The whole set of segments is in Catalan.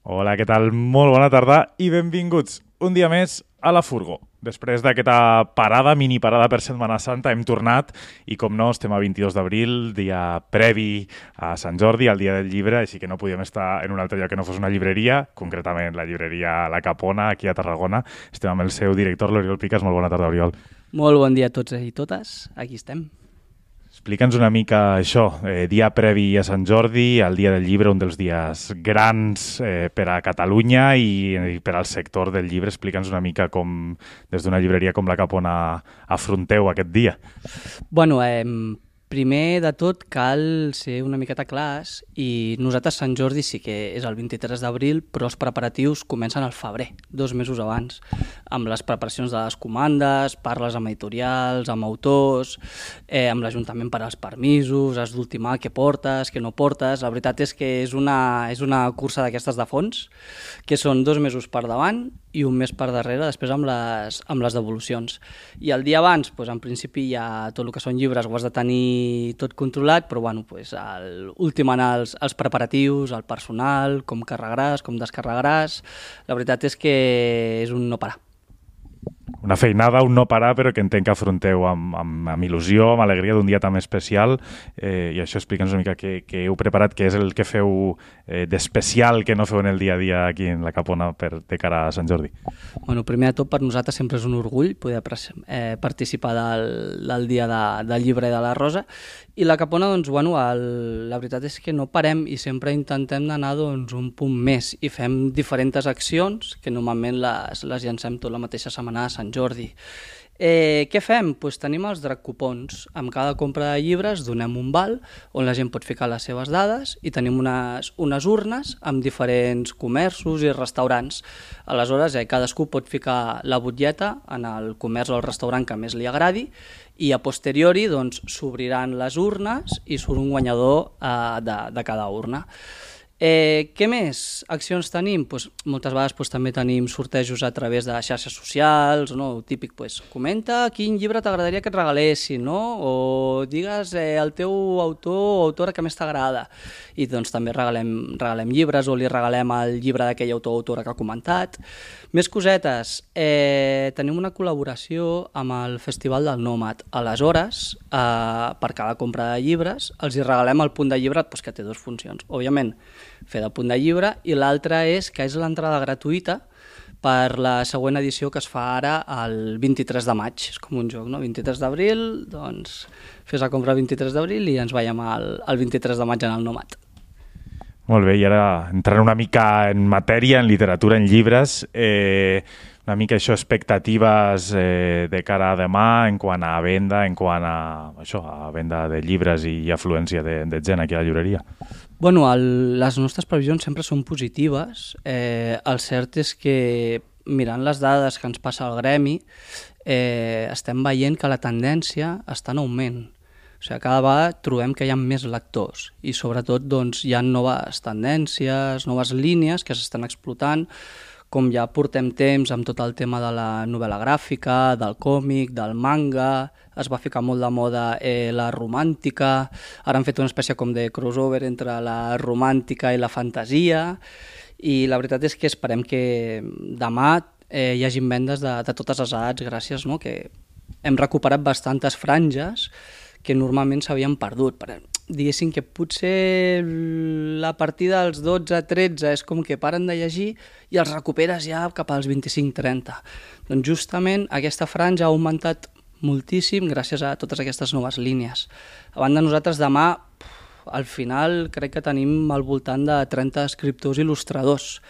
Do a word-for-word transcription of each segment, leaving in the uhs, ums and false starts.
Hola, què tal? Molt bona tarda i benvinguts un dia més a la Furgo. Després d'aquesta parada, mini parada per Setmana Santa, hem tornat i, com no, estem a vint-i-dos d'abril, dia previ a Sant Jordi, al dia del llibre, així que no podíem estar en un altre lloc que no fos una llibreria, concretament la llibreria La Capona, aquí a Tarragona. Estem amb el seu director, l'Oriol Picas. Molt bona tarda, Oriol. Molt bon dia a tots i totes, aquí estem. Explica'ns una mica això, eh, dia previ a Sant Jordi, el dia del llibre, un dels dies grans eh, per a Catalunya i, i per al sector del llibre. Explica'ns una mica com, des d'una llibreria com La Capona, afronteu aquest dia. Bueno, eh, primer de tot cal ser una miqueta clars i nosaltres Sant Jordi sí que és el vint-i-tres d'abril, però els preparatius comencen al febrer, dos mesos abans, amb les preparacions de les comandes, parles amb editorials, amb autors, eh, amb l'Ajuntament per als permisos, has d'ultimar què portes, què no portes. La veritat és que és una, és una cursa d'aquestes de fons, que són dos mesos per davant i un mes per darrere, després amb les, amb les devolucions. I el dia abans, doncs, en principi, ja tot el que són llibres ho has de tenir tot controlat, però bueno, doncs, ultimant els, els preparatius, el personal, com carregaràs, com descarregaràs. La veritat és que és un no parar. Una feinada, un no parar, però que entenc que afronteu amb, amb, amb il·lusió, amb alegria d'un dia tan especial. Eh, I això, explica'ns una mica què, què heu preparat, què és el que feu eh, d'especial que no feu en el dia a dia aquí en La Capona per, de cara a Sant Jordi. Bueno, primer de tot, per nosaltres sempre és un orgull poder eh, participar del, del dia de, del llibre de la Rosa. I La Capona, doncs, bueno, el, la veritat és que no parem i sempre intentem d'anar doncs, un punt més i fem diferents accions que normalment les, les llancem tot la mateixa setmana a Sant Jordi. Eh, què fem? Pues tenim els drac cupons. Amb cada compra de llibres donem un val on la gent pot ficar les seves dades i tenim unes, unes urnes amb diferents comerços i restaurants. Aleshores, eh, cadascú pot ficar la butlleta en el comerç o el restaurant que més li agradi i a posteriori doncs, s'obriran les urnes i surt un guanyador eh, de, de cada urna. Eh, què més accions tenim? Pues, moltes vegades pues, també tenim sortejos a través de xarxes socials, no? Típic, pues, comenta quin llibre t'agradaria que et regalessin, no? O digues eh, el teu autor o autora que més t'agrada. I doncs també regalem, regalem llibres o li regalem el llibre d'aquell autor o autora que ha comentat. Més cosetes, eh, tenim una col·laboració amb el Festival del Nòmad. Aleshores, eh, per cada compra de llibres, els hi regalem el punt de llibre pues, que té dues funcions. Òbviament, fer de punt de llibre, i l'altra és que és l'entrada gratuïta per la següent edició que es fa ara el vint-i-tres de maig. És com un joc, no? vint-i-tres d'abril, doncs fes la compra el vint-i-tres d'abril i ens veiem el, el vint-i-tres de maig en el Nòmad. Molt bé, i ara entrant una mica en matèria, en literatura, en llibres, eh, una mica això, expectatives eh, de cara a demà en quant a venda, en quant a, això, a venda de llibres i afluència de, de gent aquí a la llibreria. Bueno, el, les nostres previsions sempre són positives. Eh, el cert és que, mirant les dades que ens passa al gremi, eh, estem veient que la tendència està en augment. O sigui, cada vegada trobem que hi ha més lectors i sobretot doncs, hi ha noves tendències, noves línies que s'estan explotant, com ja portem temps amb tot el tema de la novel·la gràfica, del còmic, del manga, es va ficar molt de moda eh, la romàntica, ara han fet una espècie com de crossover entre la romàntica i la fantasia, i la veritat és que esperem que demà eh, hi hagi vendes de, de totes les edats, gràcies, no? Que hem recuperat bastantes franges que normalment s'havien perdut. Diguéssim que potser la partida dels dotze a tretze és com que paren de llegir i els recuperes ja cap als vint-i-cinc trenta. Doncs justament aquesta franja ha augmentat moltíssim gràcies a totes aquestes noves línies. A banda, nosaltres demà, al final, crec que tenim al voltant de trenta escriptors il·lustradors.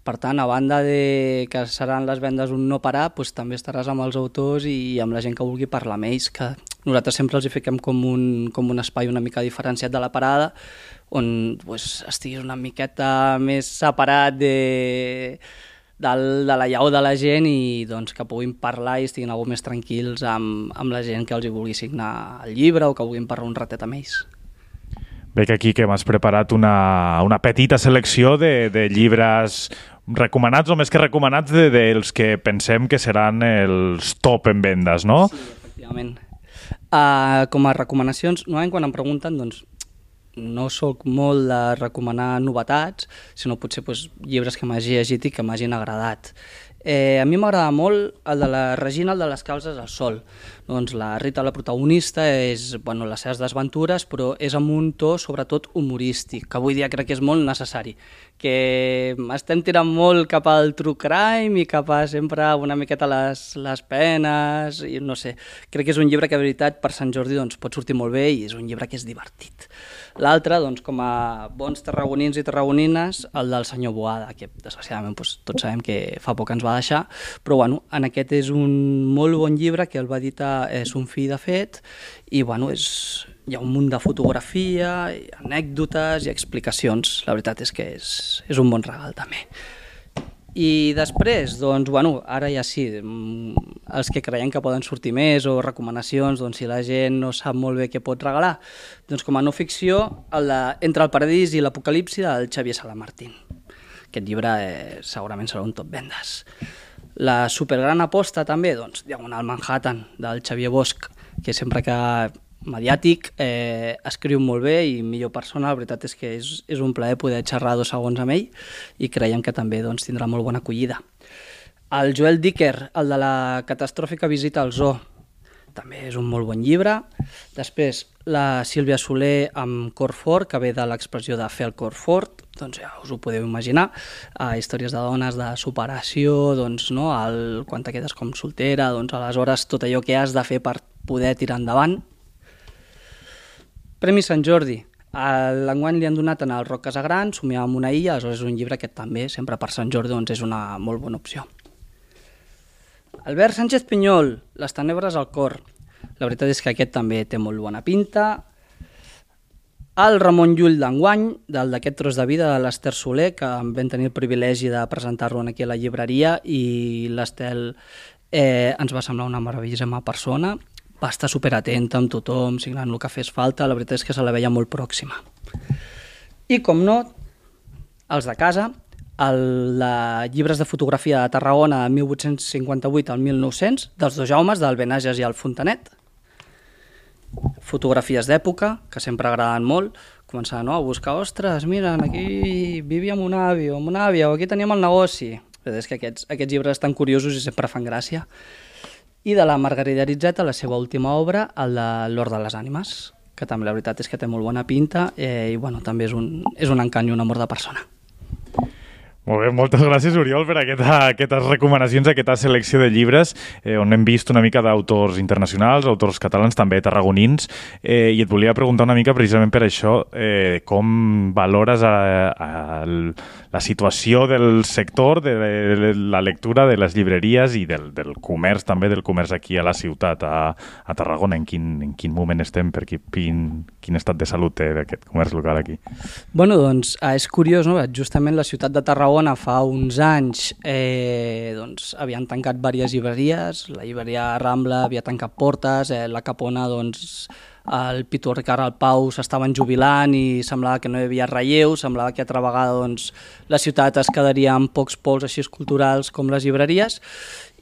Per tant, a banda de que seran les vendes un no parar, doncs també estaràs amb els autors i amb la gent que vulgui parlar amb ells, que nosaltres sempre els hi fiquem com un, com un espai una mica diferenciat de la parada, on doncs, estiguis una miqueta més separat de, del, de la llau de la gent i doncs, que puguin parlar i estiguin algo més tranquils amb, amb la gent que els hi vulgui signar el llibre o que vulguin parlar un ratet amb ells. Veig aquí que m'has preparat una, una petita selecció de, de llibres recomanats o més que recomanats de, dels que pensem que seran els top en vendes, no? Sí, efectivament. Uh, com a recomanacions, normalment quan em pregunten, doncs, no sóc molt de recomanar novetats, sinó potser doncs, llibres que m'hagi llegit i que m'hagin agradat. Eh, a mi m'agrada molt el de la Regina, el de les calces al sol. Doncs la Rita, la protagonista, és bueno, les seves desventures, però és amb un to sobretot humorístic, que avui dia crec que és molt necessari, que estem tirant molt cap al true crime i cap a sempre una miqueta les, les penes, i no sé, crec que és un llibre que de veritat per Sant Jordi doncs, pot sortir molt bé i és un llibre que és divertit. L'altre, doncs, com a bons tarragonins i tarragonines, el del senyor Boada, que desgraciadament doncs, tots sabem que fa poc ens va deixar, però bueno, en aquest és un molt bon llibre que el va editar és un fill de fet i bueno, és, hi ha un munt de fotografia, anècdotes i explicacions. La veritat és que és, és un bon regal també. I després, doncs, bueno, ara ja sí, els que creiem que poden sortir més o recomanacions, doncs si la gent no sap molt bé què pot regalar, doncs com a no ficció, el de Entre el paradís i l'apocalipsi del Xavier Salamartín. Aquest llibre eh, segurament serà un top vendes. La supergran aposta també, doncs, Diagonal Manhattan, del Xavier Bosch, que sempre que mediàtic, eh, escriu molt bé i millor persona, la veritat és que és, és un plaer poder xerrar dos segons amb ell i creiem que també doncs, tindrà molt bona acollida. El Joel Dicker, el de la catastròfica visita al zoo, també és un molt bon llibre. Després, la Sílvia Soler amb cor fort, que ve de l'expressió de fer el cor fort, doncs ja us ho podeu imaginar, eh, històries de dones de superació, doncs, no? el, quan te quedes com soltera, doncs aleshores tot allò que has de fer per poder tirar endavant. Premi Sant Jordi. L'enguany li han donat en el Roc Casagran, Somiar amb una illa, aleshores és un llibre que també, sempre per Sant Jordi, doncs és una molt bona opció. Albert Sánchez Pinyol, Les tenebres al cor. La veritat és que aquest també té molt bona pinta. El Ramon Llull d'enguany, del d'aquest tros de vida de l'Ester Soler, que vam tenir el privilegi de presentar-lo aquí a la llibreria i l'Estel eh, ens va semblar una meravellíssima persona. Va estar superatenta amb tothom, signant el que fes falta, la veritat és que se la veia molt pròxima. I, com no, els de casa, el de llibres de fotografia de Tarragona de mil vuit-cents cinquanta-vuit al mil nou-cents, dels dos Jaumes, del Benages i el Fontanet. Fotografies d'època, que sempre agraden molt, començar no, a buscar, ostres, mira, aquí vivia amb un avi o amb una àvia, o aquí teníem el negoci. La veritat és que aquests, aquests llibres estan curiosos i sempre fan gràcia. I de la Margarida Aritzeta, la seva última obra, el de l'Hort de les Ànimes, que també la veritat és que té molt bona pinta eh, i bueno, també és un, és un encant i un amor de persona. Molt bé, moltes gràcies, Oriol, per aquesta, aquestes recomanacions, aquesta selecció de llibres eh, on hem vist una mica d'autors internacionals, autors catalans, també tarragonins, eh, i et volia preguntar una mica precisament per això, eh, com valores a, a, a la situació del sector, de la lectura de les llibreries i del, del comerç, també del comerç aquí a la ciutat, a, a Tarragona, en quin, en quin moment estem, per quin, quin estat de salut té aquest comerç local aquí? Bueno, doncs és curiós, no? Justament la ciutat de Tarragona fa uns anys eh, doncs, havien tancat diverses llibreries, la llibreria Rambla havia tancat portes, eh, la Capona, doncs, el Pitu Ricard, el Pau s'estaven jubilant i semblava que no hi havia relleu, semblava que altra vegada doncs, la ciutat es quedaria amb pocs pols així culturals com les llibreries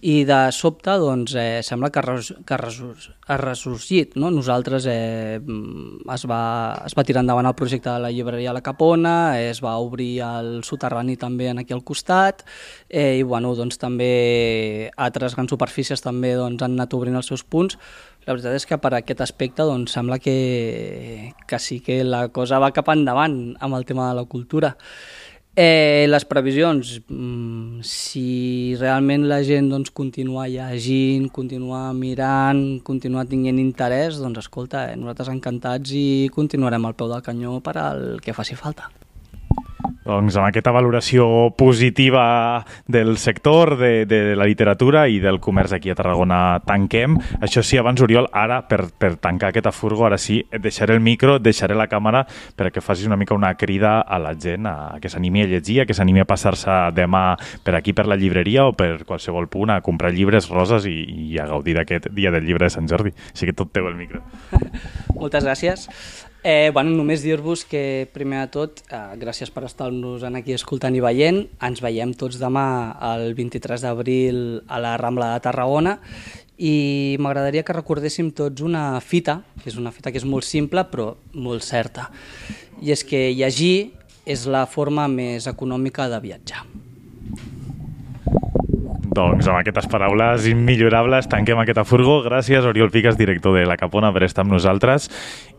i de sobte doncs, eh, sembla que ha ressorgit. No? Nosaltres eh, es, va, es va tirar endavant el projecte de la llibreria La Capona, eh, es va obrir el soterrani també aquí al costat eh, i bueno, doncs, també altres grans superfícies també doncs, han anat obrint els seus punts. La veritat és que per aquest aspecte doncs, sembla que, que sí que la cosa va cap endavant amb el tema de la cultura. Eh, les previsions, mm, si realment la gent doncs, continua llegint, continua mirant, continua tinguent interès, doncs escolta, eh, nosaltres encantats i continuarem al peu del canyó per al que faci falta. Doncs amb aquesta valoració positiva del sector, de, de la literatura i del comerç aquí a Tarragona tanquem. Això sí, abans, Oriol, ara, per, per tancar aquesta furgo, ara sí, et deixaré el micro, et deixaré la càmera perquè facis una mica una crida a la gent a que s'animi a llegir, a que s'animi a passar-se demà per aquí per la llibreria o per qualsevol punt a comprar llibres roses i, i a gaudir d'aquest dia del llibre de Sant Jordi. Així que tot teu el micro. Moltes gràcies. Eh, bueno, només dir-vos que, primer de tot, eh, gràcies per estar-nos aquí escoltant i veient. Ens veiem tots demà el vint-i-tres d'abril a la Rambla de Tarragona i m'agradaria que recordéssim tots una fita, que és una fita que és molt simple però molt certa, i és que llegir és la forma més econòmica de viatjar. Doncs amb aquestes paraules immillorables tanquem aquesta furgo. Gràcies, Oriol Piques, director de La Capona, per estar amb nosaltres.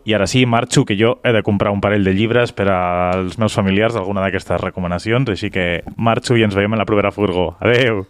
I ara sí, marxo, que jo he de comprar un parell de llibres per als meus familiars d'alguna d'aquestes recomanacions, així que marxo i ens veiem en la propera furgo. Adeu!